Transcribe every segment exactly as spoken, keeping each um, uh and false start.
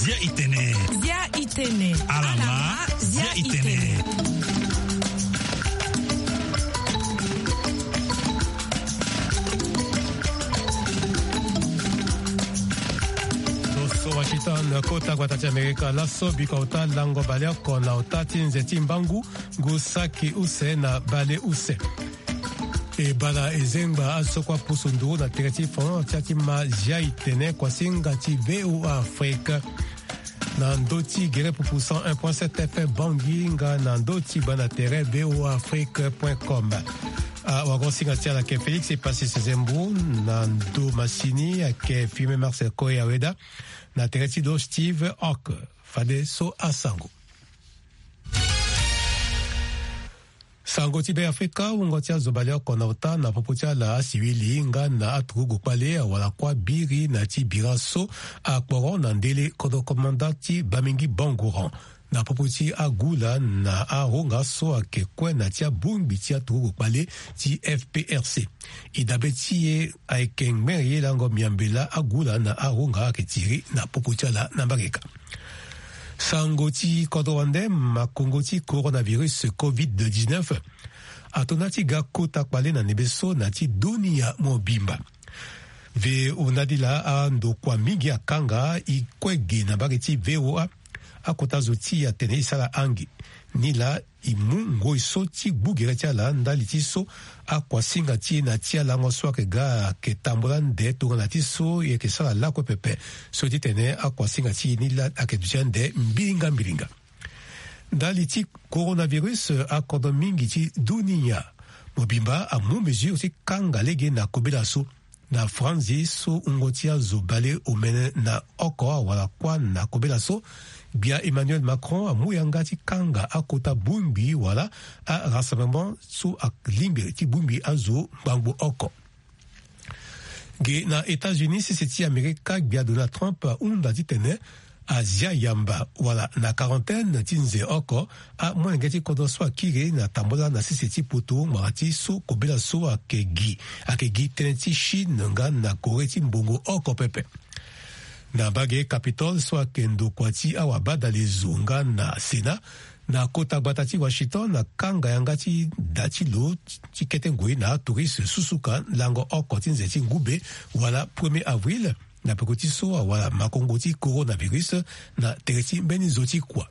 Zia itene. Zia itene. Alama. Zia itene. Washington, kota gbata ti Amerika. Laso biko auta lango baleoko na auta ti nze ti mbangu, ngu saki use na bale use. E bala e zengba azo so kue apusu nduru na tere ti France ti a ti ma Zia itene, kuasinga ti V O A Afrique. Na ndö ti gere pupu cent un point sept F M Bangui nga na ndö ti banda tere V O A Afrique point com. Awagosinga ti ala ayeke Félix Epassi Sezembo, na ndo masini ayeke Firmin Marcel Koya Weda, na tere ti lo Steve Ock. Fadeso asango. Sango ti Be Afrika, wungo ti azo baleoko na ota na popo ti ala asiwili nga na aturugu kpale awara kuâ biri na ti bira so akporo na ndele kodro komanda ti Bamingui Bangoran na popo ti agula na aronga so ayeke kue na ti abongbi ti aturugu kpale ti F P R C. E dabe ti e ayeke ngbere ye lango miambe laa agula na aronga ayeke tiri na popo ti ala na mbageka. Sango ti kodro wande, makongo ti coronavirus covid dix-neuf ato na ti ga kota kpale na ndembe so na ti dunia mobimba. Ve hunda ti laa andokua mingi akanga e kue ge na mbage ti V O A. Akota zo ti e atene e sara ange. Nilaa e mu ngoi so ti gbu gere ti ala ndali ti so akuasinga ti e na ti alango so ayeke ga ayeke tambula ande tongana ti so e yeke sara lakue pepe. So titene akuasinga ti e nilaa ayeke duti ande mbiringa mbiringa. Ndali ti coronavirus, akodro mingi ti dunia mobimba amu mesure ti kanga lege na kobela so. Na franzi so wungo ti azo bale omene na oko awara kuâ na kobela so, gbia Emmanuel Macron amu yanga ti kanga akota bongbi wala arassemblement so alingbi ti bongbi azo ngbangbo oko. Ge na États-Unis, sese ti Amerika, gbia Donald Trump ahunda titene azia yamba wala na quarantaine ti nze oko amolenge ti kodro so akiri na tambola na sese ti poto ngbanga ti so kobela so ayeke gi ayeke gi tënë ti Chine nga na Corée ti mbongo oko pepe. Na mbage Capitole so ayeke ndokua ti awabadalezo nga na Sénat, na kota gbata ti Washington akanga yanga ti da ti lo ti kete ngoi na atouriste susuka lango oko ti nze ti ngube wala premier avril, na peko ti so awara makongo ti coronavirus na tere ti mbeni zo ti kua.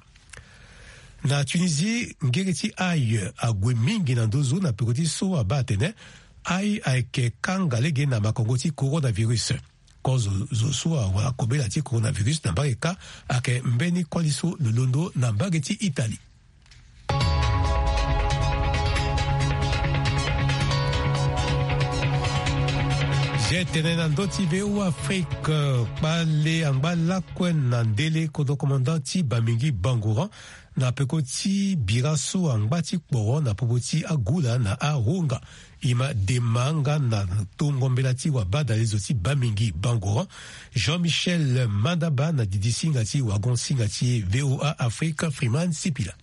Na Tunisie, ngere ti ail ague mingi na nduzu na peko ti so abaa atene ail ayeke kanga lege na makongo ti coronavirus. Kozo zo so awara kobela ti coronavirus na mbage kâ ayeke mbeni koli so lo londo na mbage ti Italie. Zia tene na ndö ti V O A Afrique, kpale angba lakue na ndele kodro komanda ti Bamingui Bangoran na peko ti bira so angba ti kporo na popo ti agula na aronga. E ma dema nga na tongo mbela ti wabadalezo ti Bamingui Bangoran, Jean-Michel Mandaba na didi singa ti wagon singa ti V O A Afrique, Freeman Sipila.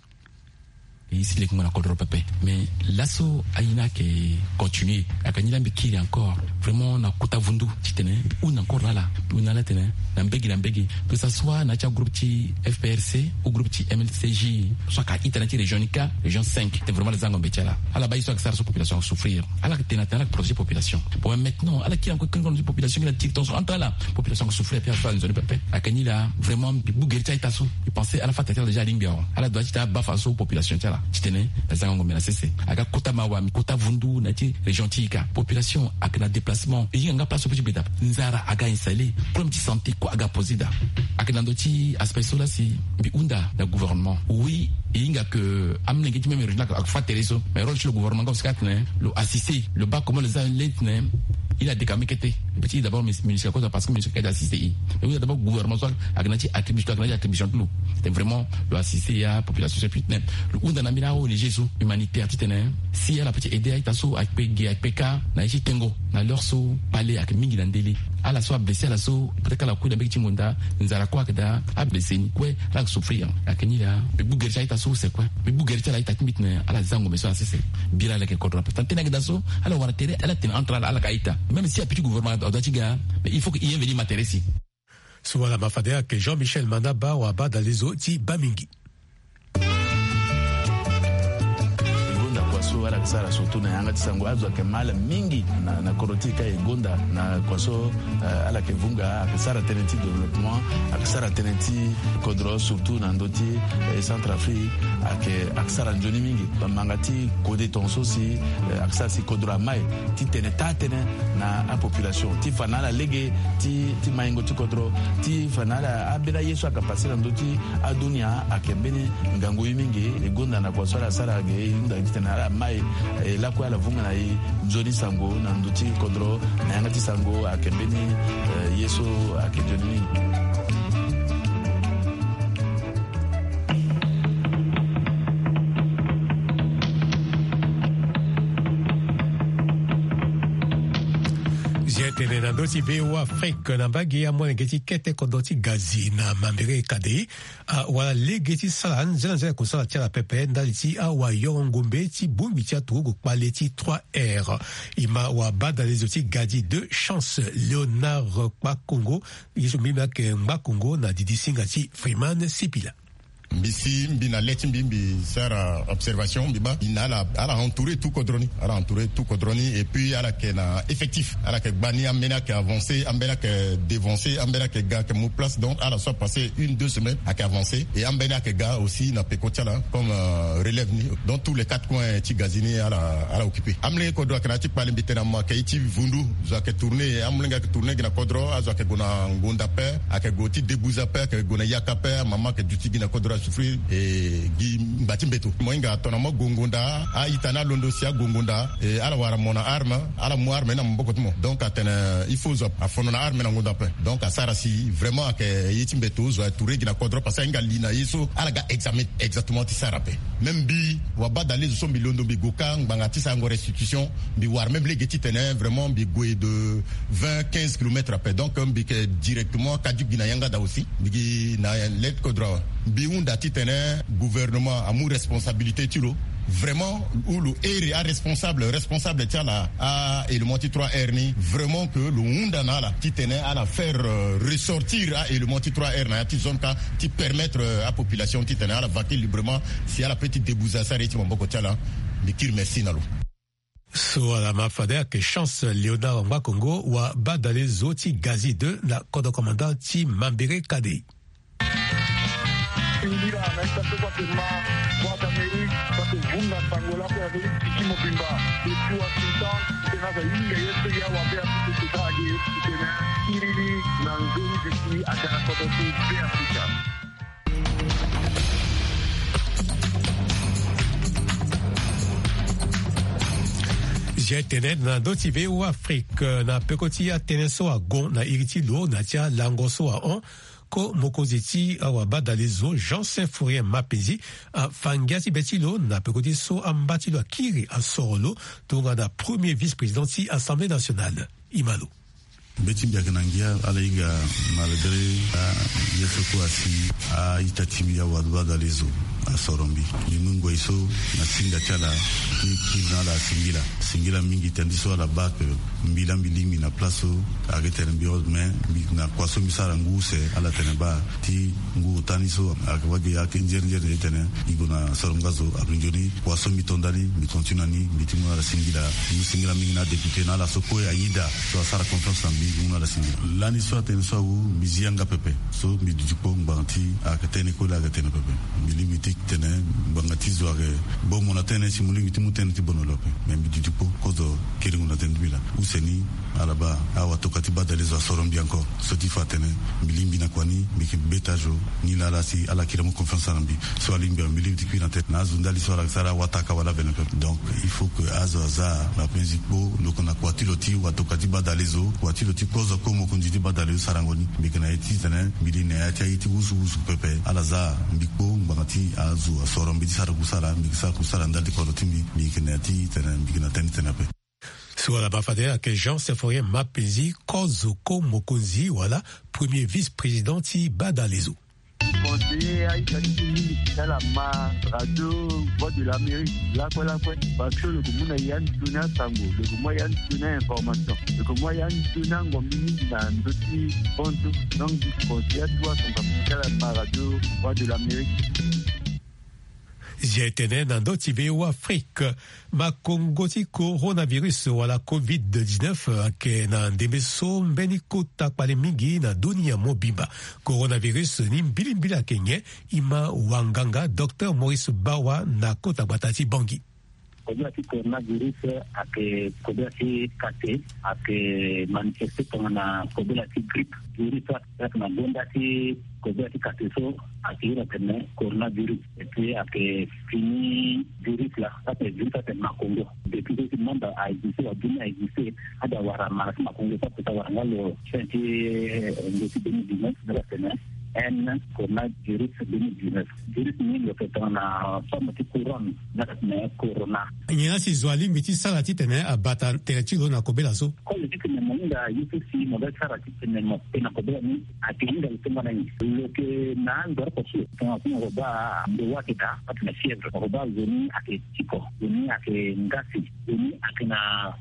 E si leke mo na kodro pepe. Mais laso aye ni ayeke continuer. Ayeke ni la mbi kiri encore. Vraiment na kota vundu titene mbi hunda encore na ala. Mbi hunda na ala titene na mbege na mbege, que ça soit na ya ti agroupe ti F P R C ou groupe ti M L C J, so ayeke a-ita na ya ti région ni kâ, région cinq, titene vraiment ala zia ngombe ti ala. Ala baa ye so ayeke sara so population ayeke souffrir. Ala yeke tene atene ala yeke protéger population. Bon, mais maintenant ala kiri encore kiri ngombe ti population, kiri na tiri tongaso entre ala. Population ayeke souffrir, ape ala sara nzoni pepe. Ayeke ni la vraiment mbi gbu gere ti a-ita so. Mbi pense ala fâ tere ti ala déjà alingbi awe. Ala doit ti tene abaa fadeso population ti ala titene na zia ngombe na sese. Aga kota mawa, kota vundu na ya ti région ti e kâ. Population ayeke na déplacement. E hinga nga place so peut ti gbe daa. Nzara aga installé. Problème ti santé kue aga posé daa. Ayeke na ndö ti aspect so la si mbi hunda na gouvernement. Oui, e hinga que amolenge ti même région la ayeke fâ tere so. Mais rôle ti lo gouvernement nga aussi kâ atene lo assister, lo baa comment lo zia le titene il a décamé kete. Peut ti d'abord ministre kozo parce que ministre kâ assister e. Mais lo hunda d'abord gouvernement so ayeke na ya ti attribution, ayeke na ya ti attribution ti lo. Titene vraiment lo assister ya population so, puis titene lo hunda na ambeni a-O N G so humanitaire titene si ala peut ti aider a-ita so akpe ge akpe kâ na ye ti tengo na l'heure so kpale ayeke mingi na ndele. Ala so ablessé ala so, peut-être ala kui na mbege ti ngonda, nzara kue ayeke daa, ablessé ni kue, ala yeke souffrir. Ayeke ni laa mbi gbu gere ti ala ita so use kue. Mbi gbu gere ti ala ita ti mbi tene ala za ngombe so na sese. Bira ala yeke kodro ape. Tene ayeke daa so ala wara tere, ala tene entre ala, ala ka ita. Même si ape ti gouvernement adoit ti ga, mais il faut que i inveni ma tere si. So ala ma fade ayeke Jean Michel Manaba, wabadale zo ti Bamingi. E gonda kua so ala yeke sara surtout na yanga ti sango, azo ayeke mal mingi na, na kodro ti e ka e gonda na kua so, eh, ala yeke vunga, ayeke sara tënë ti développement, ayeke sara tënë ti kodro surtout na ndö ti, eh, Centrafrique, ayeke, ayeke sara nzoni mingi. Bamanga ti kode tongaso si, eh, ayeke sara si kodro amai titene taa tënë na apopulation ti fa na ala lege ti, ti maingo ti kodro, ti fa na ala ambeni aye so ayeke passé na ndö ti adunia ayeke mbeni ngangu ye mingi. E gonda na kua so ala sara ge e hunda titene ala mai, eh, lakue ala vunga na e nzoni sango na ndö ti kodro, na yanga ti sango ayeke mbeni, eh, ye so ayeke nzoni mingi. Zia tene na ndö ti V O A Afrique na mbage amolenge ti kete kodro ti Gazi na Mambéré Kadé, awara lege ti sara nzela nzela kusala ti ala pepe ndali ti awayoro ngombe ti bongbi ti aturugu kpale ti trois R. E ma wabadale zo ti Gadi deux Chance Léonard Kpakongo, ye so mbi mbi ayeke Ngbakongo na didi singa ti Freeman Sipila. Mbi si mbi na le ti mbi, mbi sara observation, mbi baa mbi na ala, ala entouré tout kodro ni, ala entouré tout kodro ni, et puis ala yeke na effectif, ala yeke gba ni, ambeni ayeke avancé, ambeni ayeke dévancé, ambeni ayeke ga ayeke mu place. Donc ala so apassé une deux semaines ayeke avancé, et ambeni ayeke ga aussi na peko ti ala comme, euh, relève ni. Donc tous les quatre coins ti Gazi ni ala, ala occupé. Amolenge kodro ayeke na ya ti kpale, mbi tene na mo ayeke ye ti vundu, zo ayeke tourné, amolenge ayeke tourné gi na kodro, azo ayeke gue na ngonda ape, ayeke gue ti debuza ape, ayeke gue na yaka ape, amama ayeke duti gi na kodro asouffrir, e gi ngba ti mbeto. Mo hinga tongana mo gue ngonda, a-ita ni alondo si ague ngonda, e ala wara mo na arme, ala mu arme ni na maboko ti mo. Donc atene il faut zo afono na arme na ngonda ape. Donc asara si vraiment ayeke ye ti mbeto, zo atourné gi na kodro parce que ahinga li na ye so ala ga examen exactement ti sara ape. Même mbi wabadale zo so mbi londo mbi gue ka ngbanga ti sarango restitution, mbi wara même lege titene vraiment mbi gue de vingt, quinze kilomètres ape. Donc mbi yeke directement kadi gi na yanga daa aussi, mbi gi na le ti kodro awe. Mbi hunda titene gouvernement amu responsabilité ti lo vraiment, ou lo iri aresponsable, responsable ti ala, a-élément ti trois R ni, vraiment que lo hunda na ala titene ala faire, euh, ressortir a-élément ti trois R na ya ti zone ka ti permettre, euh, apopulation titene ala vaquer librement, si ala peut ti debuza asara ye ti maboko ti ala. Mbi kiri merci na lo. So ala ma fade ayeke Chance Léonard Ngbakongo, wabadale zo ti Gazi deux na kodro commandant ti Mambéré Kadé. Singila na ita so kue ake ma Voix d'Amérique, so ake vunga sango lakue na ndö ti tiki mobimba. Depuis Washington, titene aza hinga ye so ya wabe apupu teta age, titene iri ni na nzoni duti aga na kodro ti Beafrika. Zia tene na ndö ti V O A Afrique, na peko ti atënë so agon na iri ti lo na ya ti alango so ahon, ko mokonzi ti awabadale zo Jean Symphorien Mapenzi afa ngia ti be ti lo na peko ti so amba ti lo akiri asoro lo tongana premier vice-président ti Assemblée nationale. E ma lo. Be ti mbi ayeke na ngia, ala hinga malgré aye so kue asi a-ita ti mbi awabadale zo asoro mbi. Mbi mu ngoi so na singa ti ala ti kiri na ala singila. Singila mingi tënë ti so ala baa ake mbi laa mbi lingbi na place so ayeke tene mbi hon, mais mbi na kua so mbi sara ngu use ala tene baa ti ngu ota ni so ayeke wagi ayeke nzere nzere, e tene e gue na soro nga zo. Ape nzoni kua so mbi to ndani mbi continue na ni, mbi ti mu na ala singila. Mbi mu singila mingi na adéputé na ala so kue ayeda so asara confiance na mbi, mbi mu na ala singila. Lani so atene so awu mbi zi yanga pepe. So mbi duti kpo ngbanga ti ayeke tënë kue laa ayeke tene pepe. Mbi lingbi ti tene ngbanga ti zo ayeke bomo na tënë si mo lingbi ti mu tënë ti bono lo ape. Mais mbi duti kpo kozo kiri ngu na tënë ti mbi laa. Use ni ala baa awatokua ti badale zo asoro mbi encore. So ti fa atene mbi lingbi na kua ni, mbi yeke beta zo ni laa ala si ala kiri amu confiance na mbi. So alingbi awe mbi lingbi ti kui na tënë na azo ndali so ala sara awataka wala avene pepe. Donc il faut que azo aza na penzi kpo lo yeke na kua ti lo ti watokua ti badale zo, kua ti lo ti kozo kue mokonzi ti badale zo sarango ni. Mbi yeke na ye ti tene mbi li na ya ti aye ti wusuwusu pepe. Ala za mbi kpo ngbanga ti azo asoro mbi ti sara kusala, mbi yeke sara kusala ndali ti kodro ti mbi. Mbi yeke na ya ti tene mbi yeke na tënë ti tene ape. Wala bafade ayeke Jean Symphorien Mapenzi, kozo ko mokonzi wala premier vice-président ti Badalezo. Conseiller aita ti ti mingi ti tala ma radio Voix de l'Amérique lakue lakue. Parce que lo yeke mu na ya nzoni asango, lo yeke mu ya nzoni a-information, lo yeke mu ya nzoni angombi mingi na ndö ti bantu. Donc conseiller atu asango ti tala ma radio Voix de l'Amérique. Zia etene na ndö ti V O A Afrique. Makongo ti coronavirus wala covid dix-neuf ayeke na ndembe so mbeni kota kpale mingi na dunia mobimba. Coronavirus ni mbilimbili ayeke nyen? E ma wanganga docteur Maurice Bawa na kota gbata ti Bangui. Kobela ti coronavirus ayeke kobela ti kate, ayeke manifeste tongana kobela ti grippe. Virus ayeke na gonda ti kobela ti kate so ayeke iri atene coronavirus. Et puis ayeke fini virus la, ayeke virus ayeke makongo. Depuis so ti monde aexiste, wa dunia aexiste, ade awara mara ti makongo so ape ti awara nga lo fin ti, eh, nge ti deux mille dix-neuf, nga atene un coronavirus deux mille dix-neuf. Virus ni lo yeke tongana forme ti couronne, nga atene corona. Nyen la si zo alingbi ti sara titene abata tere ti lo na kobela so? Koli titene mo hinga ye so si mo ga sara titene mo pe na kobela ni, ayeke hinga lo tongana nyen? Lo yeke na ando oko so tongana so mo baa ndo wa ayeke daa, atene fièvre. Mo baa zo ni ayeke tiko, zo ni ayeke ngasi, zo ni ayeke na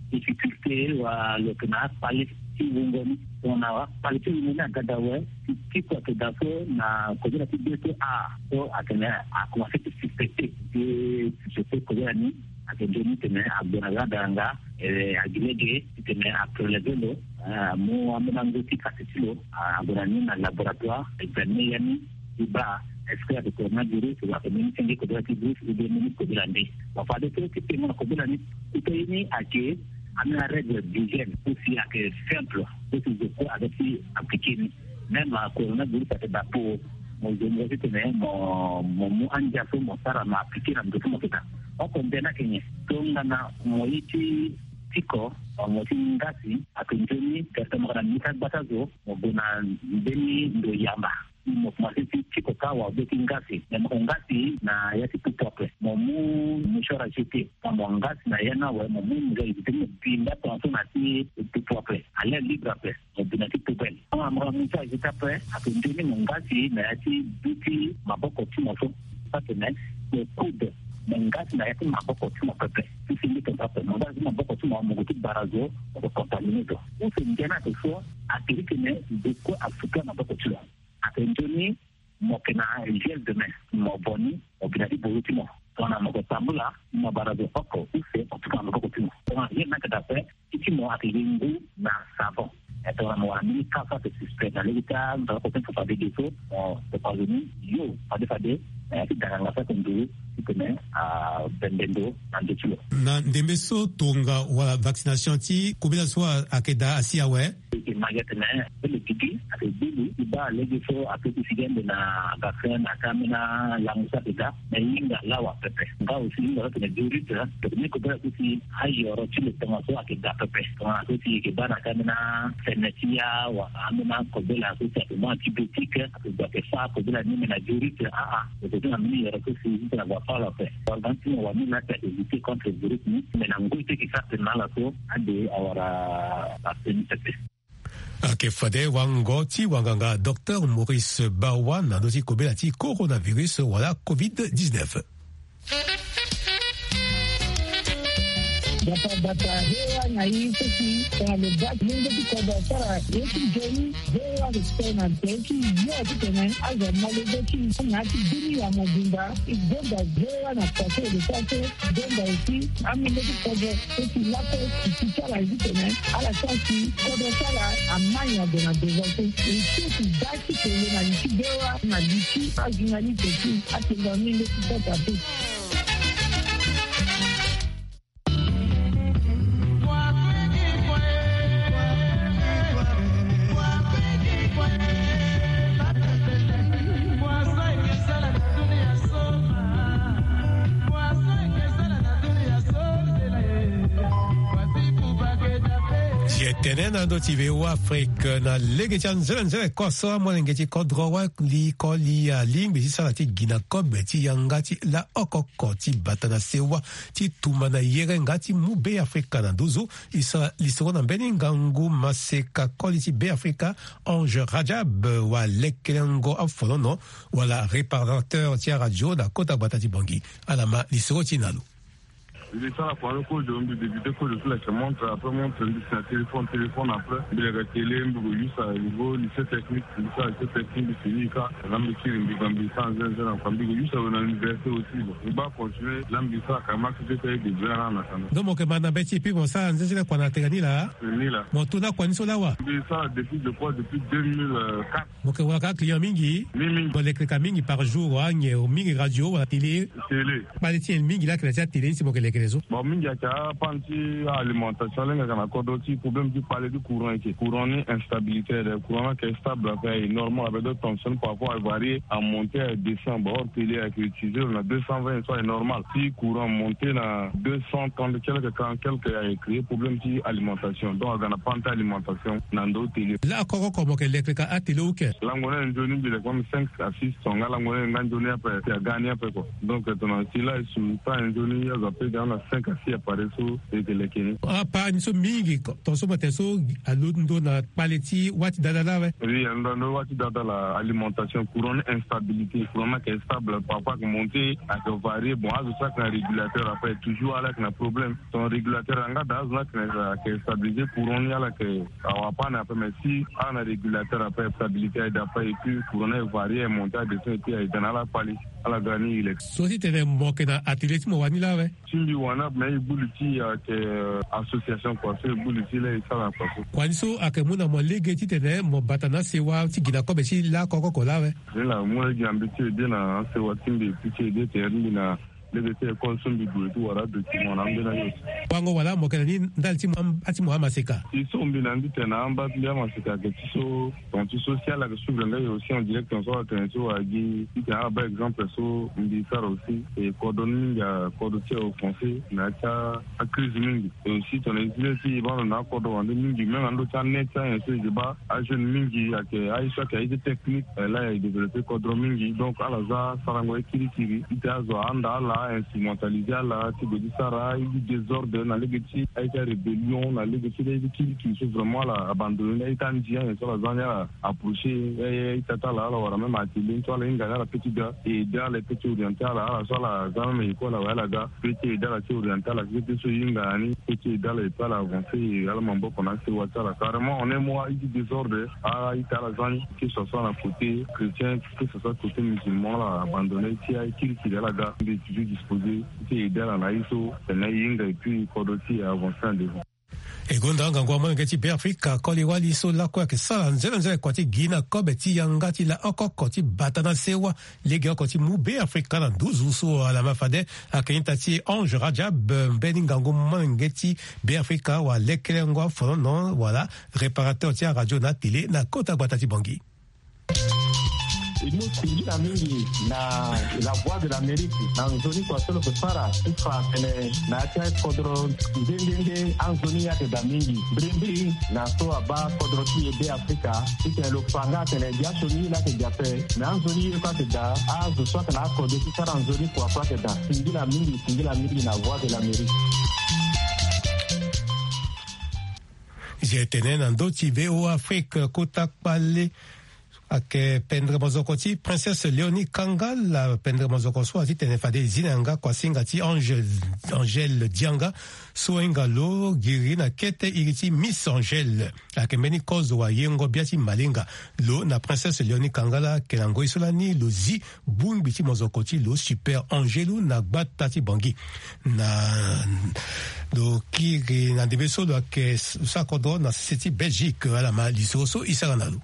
difficulté, wa lo yeke na akpale ti wungo ni. Tongana akpale ti wungo ni aga daa awe, ti tiko ayeke daa so na kobela ti deux to a so atene akomanse ti suspecté. Ti suspecté kobela ni, ayeke nzoni titene ague na ga daranga, eh, agi lege titene apreleve lo, eh, amu ambeni ango ti kati ti lo, ah, ague na ni na laboratoire, examine ya ni, ti baa est-ce que ayeke coronavirus, wala ayeke mbeni senge kobela ti virus, ou bien mbeni kobela nde. Bon, fade so ti tengo na kobela ni, kota ye ni ayeke ambeni arègle d'hygiène, aussi ayeke simple, aussi zo kue aga ti appliqué ni. Même, ah, coronavirus ayeke daa po mo zo mo titene mo, mo mu andia so mo sara mo appliqué na ndo so mo yeke daa. Oko nde ni ayeke nyen? Tongana mo ye ti tiko, mo ti ngasi, ayeke nzoni, tene mo yeke na mbi ti agbata zo, mo gue na mbeni ndo yamba. Mo komanse ti tiko kâ wa be ti ngasi. Me mo yeke ngasi na ya ti pupu ape. Mo mu mouchoir à jeter. Tongana mo ngasi na ya ni awe, mo mu mouchoir à jeter, mo bi nda tongaso na ti pupu ape. À l'air libre ape. Mo bi na ti poubelle. Tongana mo yeke na mouchoir à jeter ape, ayeke nzoni mo ngasi na ya ti du ti maboko ti mo so. Atene mo coude, mo ngasi na ya ti maboko ti mo pepe. Ti fini tongaso ape, mo ngasi ti maboko ti mo, mo gue ti bara zo, mo yeke contaminé zo. Use ndia ni ayeke so, ayeke titene zo kue asuka maboko ti lo. Ayeke nzoni mo yeke na gel de main, mo vo ni, mo bi na ti boro ti mo. Tongana mo yeke tambula, mo bara zo oko use, mo tuka na maboko ti mo. Tongana gel ni ayeke daa ape, ti ti mo ayeke ye ngu na savon. Eh, tongana mo wara mbeni ka so ayeke suspect na lege ti andara oko ti fafade ge so, mo tokua zo ni yo fade fade, eh, ti dara ngasa ayeke nduru titene abembe ndo na ndö ti lo. Na ndembe so tonga wala vaccination ti kobela so ayeke daa asi awe. E yeke ma gi atene, eh, mbeni gigi ayeke gbu lo ti baa lege so ape ti sigi ande na vaccin na ka ambeni alango so ayeke daa. Me hinga lawa pepe. Nga aussi hinga so atene virus, eh, tene kobela so si ayoro ti lo tongaso ayeke daa pepe. Tongana so si e yeke baa na ka ambeni afene ti ya wala ambeni akobela so si ayeke mu antibiotique, ayeke gue ayeke fâ kobela ni me na virus, ah, ah. E yeke ti na mbeni yoro so si titene ague afâ lo ape. Wala ti mo wani laa si ayeke lutter contre virus ni, me na ngoi so e yeke sara tene na ala so ade awara vaccin ni pepe. Ayeke fade wango ti wanganga docteur Maurice Bawa na ndö ti kobela ti coronavirus wala covid dix-neuf. Bata bata, V O A na ye so si tongana lo baa ti lenge ti kodro asara ye ti nzoni, V O A respect na tere ti yo titene azo amolenge ti na ya ti dunia mobimba. E gonda V O A na pase de pase. Donda aussi, amolenge ti kodro so si lakue e ti ti ala ye titene ala sara si kodro ti ala amai ague na devant so. E so si da ti tene na li ti V O A na li ti ajournaliste ti atengo amolenge ti kota so. Siete Tene na ndo ti V O A Afrique na lege ti anzenenzene kua so amolenge ti kodro wali koli alingbi ti sara ti gi na kobe ti yanga ti laoko oko ti bata na sewa ti tumba na yere nga ti mu Be Afrika na nduzu. E sara lisoro na mbeni ngangu maseka koli ti Be Afrika, Ange Rajab, wa lekelengo afolono wala réparateur ti aradio na kota gbata ti Bangui. Ala ma lisoro ti na lo. Mbi sara kua ni kozo, mbi débuté kozo ti leke montre, après montre mbi si na téléphone, téléphone après mbi leke télé, mbi ko use à niveau lycée technique, mbi sara lycée technique, mbi fini ka. Là mbi kiri mbi ga mbi sara nzenze na kua, mbi ko use awe na université aussi. Bon, mbi baa continuer, là mbi sara ka max de taille de bien là na kanda. Donc mo yeke ma na mbeti et puis mo sara nzenze na kua na tere ni laa? Ni laa. Mo to na kua ni so laa wa? Mbi sara depuis, je crois, depuis deux mille quatre. Mo yeke wara kâ client mingi? Mingi, mingi. Mo leke ka mingi par jour, wa nyen mingi, radio wala télé? Télé. Kpale ti nyen mingi laa ayeke na ya ti atélé ni si mo yeke leke so? Bon, mingi ayeke apana ti alimentation, lenge ayeke na kodro ti problème ti kpale ti courant eke. Courant ni instabilité, le courant ni ayeke stable, ayeke normal, avec d'autres tensions parfois ayeke varier, amonter, adescend. Bon, or télé ayeke utiliser na deux cent vingt, so ayeke normal. Si courant amonter na deux cent trente quelque, quarante quelque, ayeke créer problème ti alimentation. Donc aga na panne ti alimentation na ndo télé. Laoko oko mo yeke leke ka atélé ou ke? Lango ni nzoni mbi leke même cinq à six tonnes nga lango ni nga nzoni ape, si aga ni ape quoi. Donc tongana si la e su ta nzoni azo ape ga na cinq à six appareils so e yeke leke ni. Apart ni so mingi ko, tongaso mo tene so alondo na kpale ti wâ ti dada laa awe? Oui, alondo na wâ ti dada laa, alimentation, courant ni instabilité, courant ni ayeke stable, parfois ayeke monter, ayeke varier. Bon, azo so ayeke na régulateur ape toujours ala yeke na problème. Ton régulateur anga daa azo ni ayeke na, ayeke stabiliser courant ni, ala yeke awa panne ape, mais si ala na régulateur ape, stabilité aye daa ape, et puis courant ni aye varier, aye monter, aye descend, et puis aye daa na ala kpale, ala ga ni e leke. So ti tene mo yeke na atelier ti mo wani laa awe? Ti mbi wani ape, mais e gbu li ti e ayeke, euh, association quoi, so e gbu li ti e laa e sara na kua so. Kua ni so ayeke mu na mo lege ti tene mo bata na asewa ti gi na kobe ti laoko oko laa awe? Ni laa mu lege na mbi ti aider na asewa ti mbi, ti aider tere ti mbi na lege ti école so mbi gue ti wara adocument na ambeni aye. Wango wala mo yeke na ni ndali ti mo am-, ti mo amaseka? Ti so mbi na ni ti tene na amba ti mbi amaseka ayeke ti so, donc ti so si ala yeke suivre nga e aussi en direct, so ala tene so wala gi ti tene ala baa exemple so mbi sara aussi. E kodro ni mingi akodro ti e offensé na ya ti acrise mingi. Et aussi tongana e zi lê ti e baa ndo na akodro wande mingi, même na ndö ti anet ti anyen so e yeke baa ajeune mingi ayeke aye so ayeke aye ti technique, eh, laa e développé kodro mingi. Donc ala za sarango ye kirikiri ti tene azo ahanda ala, instrumentalisé ala ti gue ti sara aye ti désordre na lege ti aye ti arébellion, na lege ti aye ti kirikiri so vraiment ala abandonné ni, aye ti andi anyen so ala za ni ala approché aye, aye ti ata ala, ala wara même atelier ni so ala hinga ni ala peut ti ga e aidé ala, e peut ti orienté ala, ala so ala za même école awe ala ga, peut ti aidé ala ti orienté ala, peut ti so e hinga na ni, peut ti aidé ala, e peut ala avancé, e ala maboko na asewa ti ala. Carrément en un mois aye ti désordre, aye ti ala za ni, que ce soit na côté chrétien, que ce soit côté musulman, ala abandonné ti aye kirikiri ala ga, mbi toujours disposé ti aidé ala na aye so tene e hinga, et puis kodro ti e avancé en devant. E gonda ngangu amolenge ti Beafrika koli wali so lakue ayeke sara nzelenzele kua ti gi na kobe ti yanga ti laoko oko ti bata na sewa legeoko ti mu Beafrika na nduzu so ala ma fade. Ayeke ita ti Ange Rajab, mbeni ngangu molenge ti Beafrika wala lekelengo afolono wala réparateur ti aradio na atélé na kota gbata ti Bangui. E mu singila mingi na La Voix de l'Amérique na nzoni kua so lo yeke sara ti fa atene na ya ti akodro nde nde nde anzoni ye ayeke daa mingi mbirimbiri na so abaa kodro ti e Beafrika ti tene lo fa nga atene gbia sioni ye laa ayeke daa ape. Me anzoni ye kue ayeke daa, azo so ayeke na akodro ti sara nzoni kua kue ayeke daa. Singila mingi, singila mingi na Voix de l'Amérique. Zia e tene na ndö ti V O A Afrique, kota kpale ayeke pendere mozoko ti Princesse Léonie Kangala, pendere mozoko so atitene fade e zi na yanga kuasinga ti Angèle, Angèle Dianga, so ahinga lo giri na kete iri ti Miss Angèle. Ayeke mbeni kozo wayengo bia ti malinga. Lo na Princesse Léonie Kangala ayeke na ngoi so lani lo zi bongbi ti mozoko ti lo Super Angelu na gbata ti Bangui. Na lo kiri na ndembe so lo yeke s-, sakodro na sese ti Belgique, ala ma lisoro so e sara na lo.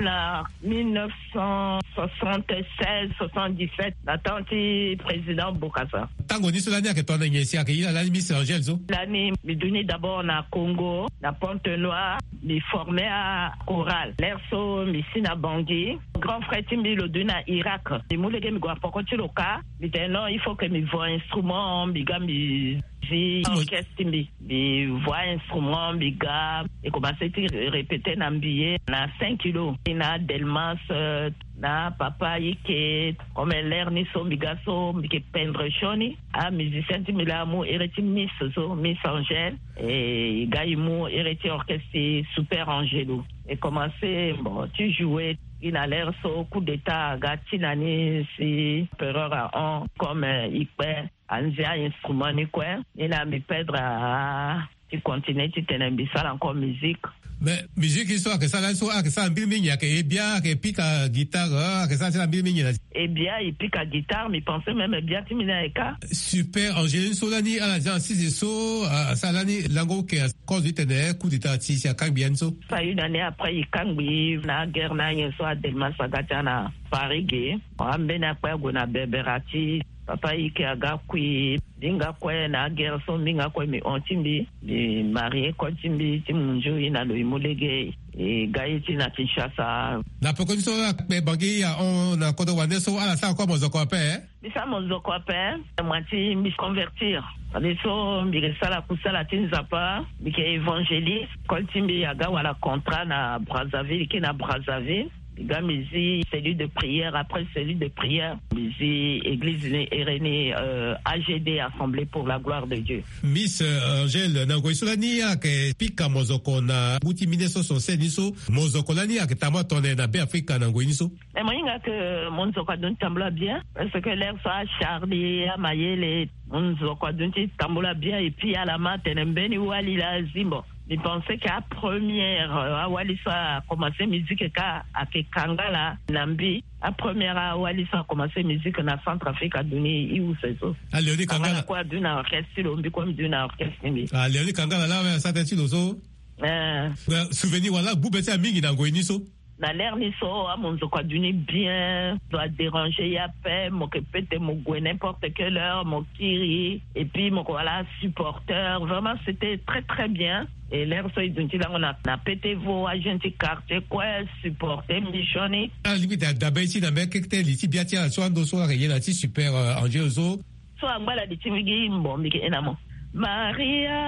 Na mille neuf cent soixante-seize soixante-dix-sept, na temps ti président Bokassa. Tango ni so lani ayeke tongana nyen si ayeke ye na lani Miss Angèle so? Lani mbi duti d'abord na Congo, na Pointe-Noire, mbi formé achorale. L'heure so mbi si na Bangui. Grand frère ti mbi lo duti na Irak. Mbi mu lege mbi gue na poko ti lo kâ. Mbi tene non, il faut que mbi vo instrument, mbi ga mbi Ti orchestre ti mbi, mbi voix instrument, mbi ga. E commencé ti répéter na mbi ye na cinq kilo na Delmas, euh, na papa Ike. Comme l'heure ni so mbi ga so mbi ke pendre sioni. Ah, musicien ti mbi la amu ere ti Miss so, Miss Angèle. E ga e mu ere ti orchestre ti Super Angelo. E commencé, bon, ti jouer. Gi na l'heure so coup d'état aga ti na ni si empereur ahon comme, euh, e kpe anzia instrument ni kue. Ni na mbi perdre, ah, ti continuer titene mbi sara encore musique. Mais musique so ayeke sara so ayeke sara mbiri mingi, ayeke e bia, ayeke pika guitare, ayeke sara ti na mbiri mingi na. E bia e pika guitare, mbi pensé même e bia ti mbi ni ayeke. Super Angelo so lani ala zia na sisi so, ah, asara lani lango oke. Cause titene coup d'état ti si akangbi ya ni so. Sa une année après e kangbi na guerre na nyen so adelma sa ga ti ana Paris ge. Ambeni akpe ague na Berbère ti papa Ike aga kui. Mbi nga kue na aguerre so mbi nga kue mbi hon ti mbi, mbi marie kue ti mbi ti munzu ye na lo e mu lege. E ga ye ti na Kinshasa. Na peko ni so akpe bangi ahon na kodro wande so ala sara kue mozoko ape. Mbi sara mozoko ape. Moi ti mbi convertir. Ade so mbi ke sara kusala ti Nzapa, mbi ke évangéliste. Kol ti mbi aga wala contrat na Brazzaville, ke na Brazzaville. Mbi ga mbi zi cellule de prière, après cellule de prière mbi zi église ni ere ni, euh, A G D, Assemblée pour la gloire de Dieu. Miss, euh, Angèle, na ngoi so lani ayeke pika mozoko na ngu ti mille neuf cent soixante-seize ni so, mozoko lani ayeke tama tone na Be Afrika na ngoi ni so. E mo hinga ke monzoko aduti tambula bien, parce que l'heure so acharlie amayele, monzoko aduti tambula bien. Et puis ala ma atene mbeni wali la azi, bon, mbi pensé ke apremière, euh, awali so akomense musique ka ayeke Kangala na mbi. Apremière awali so akomense musique na Centrafrique aduni i use so. Aleoni Kangala. Kangala kue aduni na orchestre ti lo, mbi kue mbi duni na orchestre ti mbi. Aleoni Kangala la awe asara tënë ti lo so. Eh. Souvenir wala gbu be ti amingi na ngoi ni so. Na l'heure ni so amonzoko aduni bien, so adéranger ye ape, mo ke pete mo gue n'importe quelle heure mo kiri. Et puis mo ke wala supporteur, vraiment c'était très très bien. Et l'heure so e duni ti lango na, na pete vo ajeune ti quartier kue supporter mbi sioni. Alingbi da dabe ti na mbi kekete li ti bia ti ala so ando so ayeke ye na ti Super, euh, Angelo so. So angba la di ti mbi gi mbo mbi ke ena mo. Maria,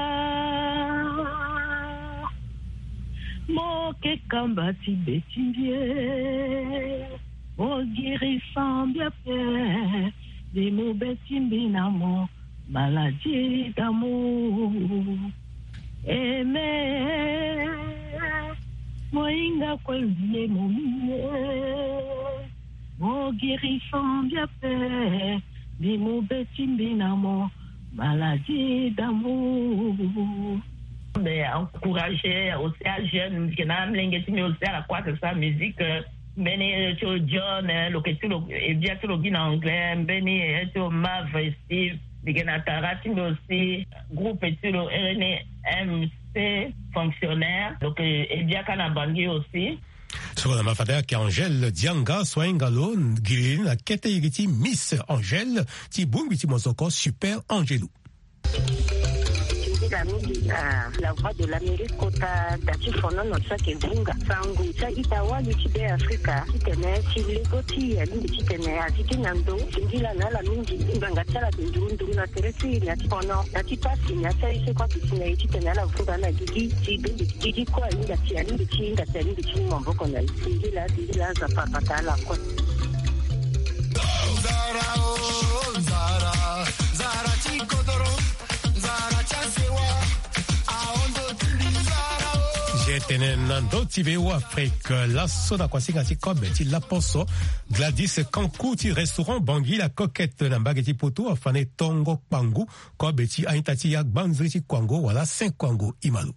mo ke kamba ti be ti mbi e, mo giri sambia pe, di mo be ti mbi na mo, maladie d'amour. Aimé, mo hinga kue vie mo mie. Mo guérison bien fait, ni mo beti mbi na mo, maladie d'amour. Mais encourager aussi à jeune, que na mlenge ti mbi aussi à la croix que sa musique, euh, mbeni ti lo John, euh, lo ke ti lo, e bia ti lo gi na anglais, mbeni, euh, ti lo Mav Steve, mbi ke na tara ti mbi aussi, groupe ti lo ere ni M C fonctionnaire, donc, euh, e bia ka na Bangui aussi. So na mafade ayeke Angèle Dianga so ahinga lo gi na kete iri ti Miss Angèle ti bongbi ti mosoko Super Angelo. Nzila mingi na La Voix de l'Amérique kota da ti fonono so ayeke vunga sango ti a-ita wali ti Be Afrika titene ti lego ti e alingbi titene azi gi na ndo. Singila na ala mingi ngbanga ti ala ayeke nduru nduru na tere ti e na ti fono na ti pasi na ti aye so kue ayeke si na e titene ala vunga na gigi ti bongbi. Gigi kue ahinga ti alingbi ti hinga ti alingbi ti mu maboko na e. Singila singila Nzapa abata ala kue. Nzara o nzara, nzara ti kodoro, nzara ti asewa. Aondo ti mbi nzara o. Ge tene na ndö ti V O A Afrique laso na kuasinga ti kobe ti laposo, Gladys Kanku ti restaurant Bangui La Coquette na mbage ti Poto afa na e tongo kpangu kobe ti a-ita ti agbanziri ti kuango wala Saint Kuango. Imalo.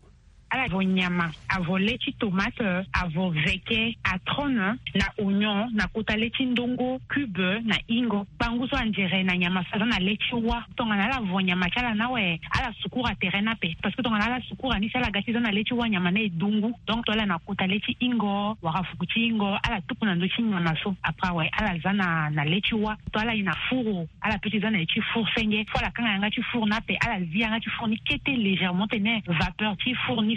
Ala vo nyama, avo le ti tomate, avo veke, atrone, na oignon na kota le ti ndongo, cube na ingo. Kpangu so anzere na nyama so aza na le ti wa. Tongana ala vo nyama ti ala ni awe, ala sukura tere ni ape. Parce que tongana ala sukura ni si ala ga ti za na le ti wa, nyama ni e dungu. Donc to ala na kota le ti ingo wala fuku ti ingo, ala tuku na ndö ti nyama so. Après awe ala za na, na le ti wa. To ala ye na furu, ala peut ti za na ye ti four senge. Fo ala kanga yanga ti four ni ape, ala zi yanga ti four ni kete légèrement tene vapeur ti four ni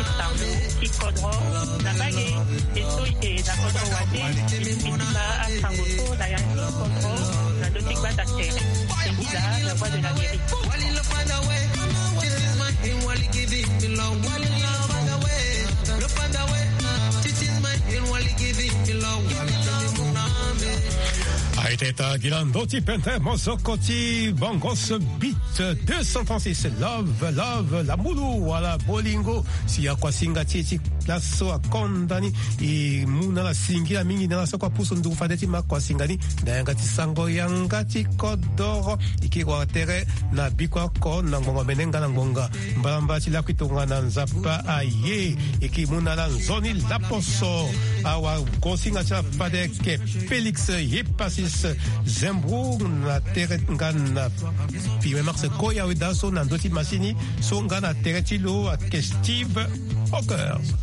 Mani Sango ti kodro na mbage. E so e yeke na kodro wande e sigi ti baa asango so na ya ti kodro na ndö ti gbata tere. E ngi daa la Voix de l'Amérique. Aye teta gi na ndö ti pente mosoko ti Bongos Beat deux cent trente-six. Love, love, lambulu wala bolingo. Si akuasinga ti e ti laso akonda ni. E mu na ala singila mingi na ala so kue apusu nduru fade ti makua singa ni. Na yanga ti sango yanga ti kodoro e ke wara tere na biko oko na ngonga mene nga na ngonga. Mbalambala ti lakui tongana nzapa aye e ke mu na ala nzoni laposo. Awagosinga ti ala fade ayeke Félix Yepasis Zembro na tere nga na Pime Max Koya Weda so na ndö ti masini so nga na tere ti lo ayeke Steve Hawkers.